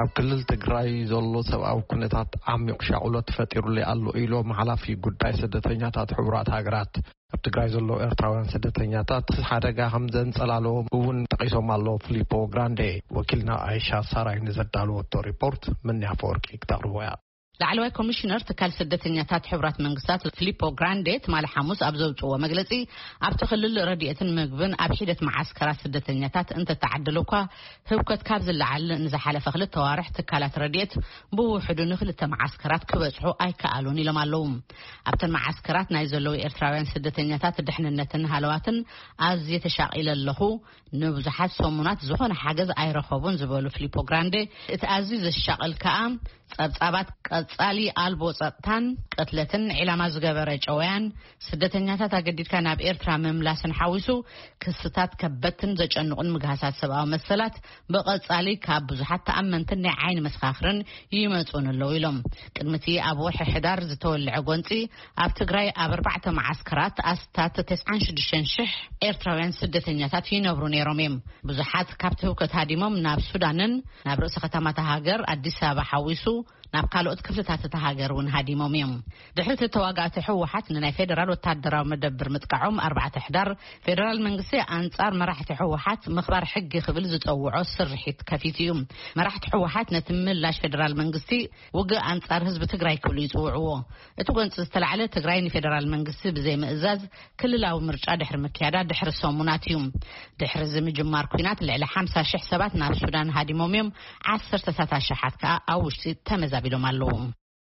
ኣብ ክልል ትግራይ ዘሎ ሰብኣዊ ኩነታት ዓሚቕ ሻቕሎት ፈጢሩለይ ኣሎ ኢሎም ሓላፊ ጉዳይ ስደተኛታት ሕቡራት ሃገራት። ኣብ ትግራይ ዘለዉ ኤርትራውያን ስደተኛታት ሓደጋ ከም ዘንጸላለዎም እውን ጠቒሶም ኣለዉ። ፊሊፖ ግራንዴ፣ ወኪልና ኣይሻ ሳራይ ንዘዳለወቶ ሪፖርት ምንያ ፈወርቂ ክተቕርቦ እያ። ላዕለዋይ ኮሚሽነር ትካል ስደተኛታት ሕቡራት መንግስታት ፊሊፖ ግራንዴ ትማሊ ሓሙስ ኣብ ዘውፅዎ መግለፂ፣ ኣብቲ ክልል ረድኤትን ምግብን ኣብ ሒደት መዓስከራት ስደተኛታት እንተተዓደለ እኳ፣ ህውከት ካብ ዝለዓል ንዝሓለፈ ክልተ ዋርሕ ትካላት ረድኤት ብውሕዱ ንክልተ መዓስከራት ክበፅሑ ኣይከኣሉን ኢሎም ኣለዉ። ኣብተን መዓስከራት ናይ ዘለዉ ኤርትራውያን ስደተኛታት ድሕንነትን ሃለዋትን ኣዝየ ተሻቒለ ኣለኹ። ንብዙሓት ሰሙናት ዝኾነ ሓገዝ ኣይረኸቡን ዝበሉ ፊሊፖ ግራንዴ፣ እቲ ኣዝዩ ዘሻቕል ከኣ ጸብጻባት ቀጻሊ ኣልቦ ጸጥታን ቅትለትን፣ ዕላማ ዝገበረ ጨወያን፣ ስደተኛታት ኣገዲድካ ናብ ኤርትራ ምምላስን ሓዊሱ፣ ክስታት ከበድትን ዘጨንቑን ምግሃሳት ሰብኣዊ መሰላት ብቐጻሊ ካብ ብዙሓት ተኣመንትን ናይ ዓይኒ መሰኻኽርን ይመጹን ኣለዉ ኢሎም። ቅድሚ እቲ ኣብ ወርሒ ሕዳር ዝተወልዐ ጎንጺ፣ ኣብ ትግራይ ኣብ ኣርባዕተ መዓስከራት ኣስታት ተስዓን ሽዱሽተን ሽሕ ኤርትራውያን ስደተኛታት ይነብሩ ነይሮም እዮም። ብዙሓት ካብቲ ህውከት ሃዲሞም ናብ ሱዳንን ናብ ርእሰ ከተማታ ሃገር ኣዲስ ኣበባ ሓዊሱ ናብ ካልኦት ክፍልታት እታ ሃገር እውን ሃዲሞም እዮም። ድሕሪ እቲ ተዋጋእቲ ህወሓት ንናይ ፌደራል ወታደራዊ መደብር ምጥቃዖም ኣርባዕተ ሕዳር፣ ፌደራል መንግስቲ ኣንጻር መራሕቲ ህወሓት ምኽባር ሕጊ ክብል ዝጸውዖ ስርሒት ከፊቱ እዩ። መራሕቲ ህወሓት ነቲ ምላሽ ፌደራል መንግስቲ ውግእ ኣንጻር ህዝቢ ትግራይ ክብሉ ይጽውዕዎ። እቲ ጎንፂ ዝተላዕለ ትግራይ ንፌደራል መንግስቲ ብዘይምእዛዝ ክልላዊ ምርጫ ድሕሪ ምክያዳ ድሕሪ ሰሙናት እዩ። ድሕሪ እዚ ምጅማር ኲናት ልዕሊ ሓምሳ ሽሕ ሰባት ናብ ሱዳን ሃዲሞም እዮም። ዓሰርተታት ኣሽሓት ከኣ ኣብ ውሽጢ ተመዛቢሎም ኣለዉ።